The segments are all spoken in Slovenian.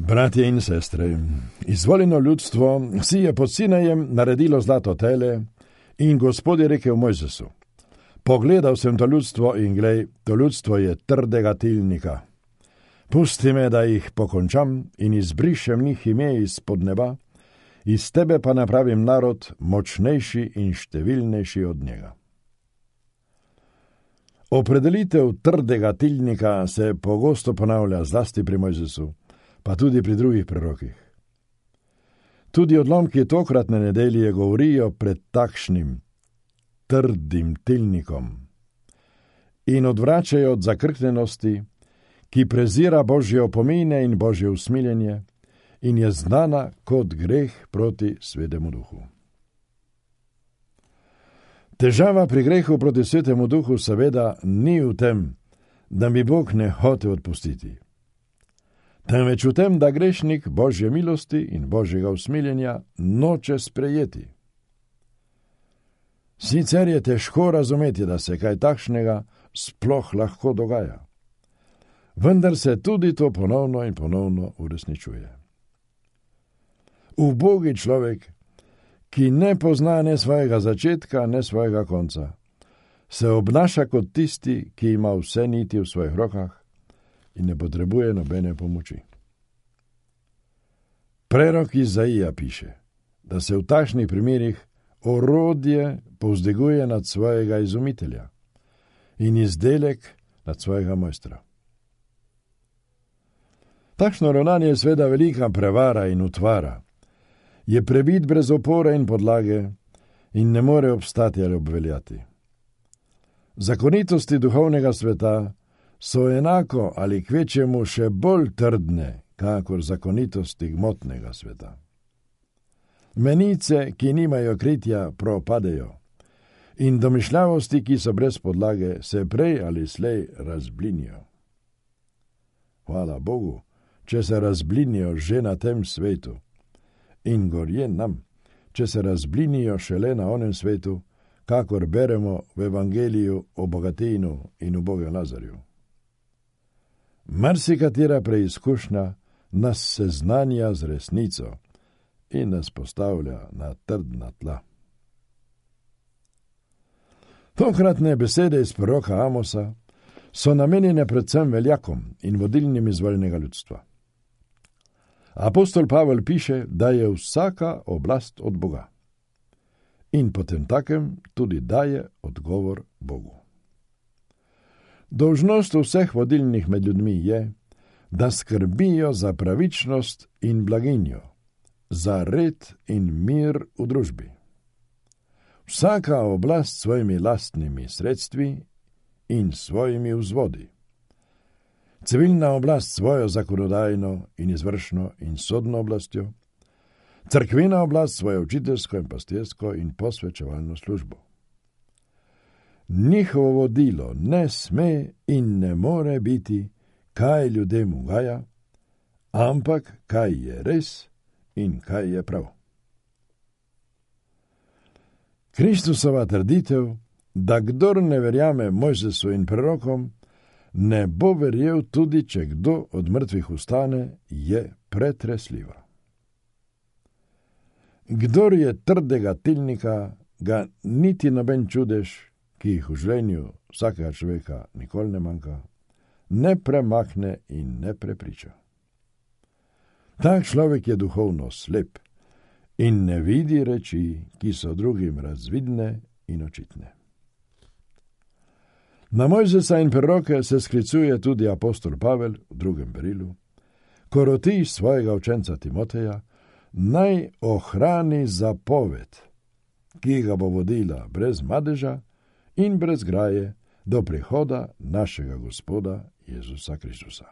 Bratje in sestre, izvoljeno ljudstvo si je pod Sinajem naredilo zlato tele in Gospod je rekel Mojzesu: pogledal sem to ljudstvo in glej, to ljudstvo je trdega tilnika. Pusti me, da jih pokončam in izbrišem njih ime izpod neba, iz tebe pa napravim narod močnejši in številnejši od njega. Opredelitev trdega tilnika se pogosto ponavlja zlasti pri Mojzesu, pa tudi pri drugih prerokih. Tudi odlomki tokratne nedelje govorijo pred takšnim trdim tilnikom in odvračajo od zakrknjenosti, ki prezira Božje opomine in Božje usmiljenje in je znana kot greh proti Svetemu Duhu. Težava pri grehu proti Svetemu Duhu seveda ni v tem, da mi Bog ne hoče odpustiti, temveč v tem, da grešnik Božje milosti in Božjega usmiljenja noče sprejeti. Sicer je težko razumeti, da se kaj takšnega sploh lahko dogaja, vendar se tudi to ponovno in ponovno uresničuje. Ubogi človek, ki ne pozna ne svojega začetka, ne svojega konca, se obnaša kot tisti, ki ima vse niti v svojih rokah in ne potrebuje nobene pomoči. Prerok Izaija piše, da se v takšnih primerih orodje povzdiguje nad svojega izumitelja in izdelek nad svojega mojstra. Takšno ravnanje je sveda velika prevara in utvara, je prebit brez opore in podlage in ne more obstati ali obveljati. Zakonitosti duhovnega sveta so enako ali kvečjemu še bolj trdne, kakor zakonitosti gmotnega sveta. Menice, ki nimajo kritja, propadejo in domišljavosti, ki so brez podlage, se prej ali slej razblinijo. Hvala Bogu, če se razblinijo že na tem svetu, in gorje nam, če se razblinijo šele na onem svetu, kakor beremo v Evangeliju o bogatinu in ubogem Lazarju. Marsikatera preizkušnja nas seznanja z resnico in nas postavlja na trdna tla. Tokratne besede iz proroka Amosa so namenjene predvsem veljakom in vodilnim izvoljenega ljudstva. Apostol Pavel piše, da je vsaka oblast od Boga in potem takem tudi daje odgovor Bogu. Dolžnost vseh vodilnih med ljudmi je, da skrbijo za pravičnost in blaginjo, za red in mir v družbi. Vsaka oblast s svojimi lastnimi sredstvi in svojimi vzvodi. Civilna oblast svojo zakonodajno in izvršno in sodno oblastjo, cerkvena oblast svojo učiteljsko in pastirsko in posvečevalno službo. Njihovo vodilo ne sme in ne more biti, kaj ljudem ugaja, ampak kaj je res in kaj je prav. Kristusova trditev, da kdor ne verjame Mojzesu in prerokom, ne bo verjel tudi, če kdo od mrtvih vstane, je pretresljiva. Kdor je trdega tilnika, ga niti noben čudež, ki jih v življenju vsakega človeka nikoli ne manjka, ne premakne in ne prepriča. Tak človek je duhovno slep in ne vidi reči, ki so drugim razvidne in očitne. Na Mojzesa in preroke se sklicuje tudi apostol Pavel v 2. berilu, ko roti svojega učenca Timoteja, naj ohrani zapoved, ki ga bo vodila brez madeža in brez graje do prihoda našega Gospoda Jezusa Kristusa.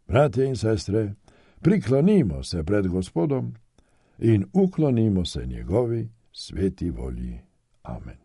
Bratje in sestre, priklonimo se pred Gospodom in uklonimo se njegovi sveti volji. Amen.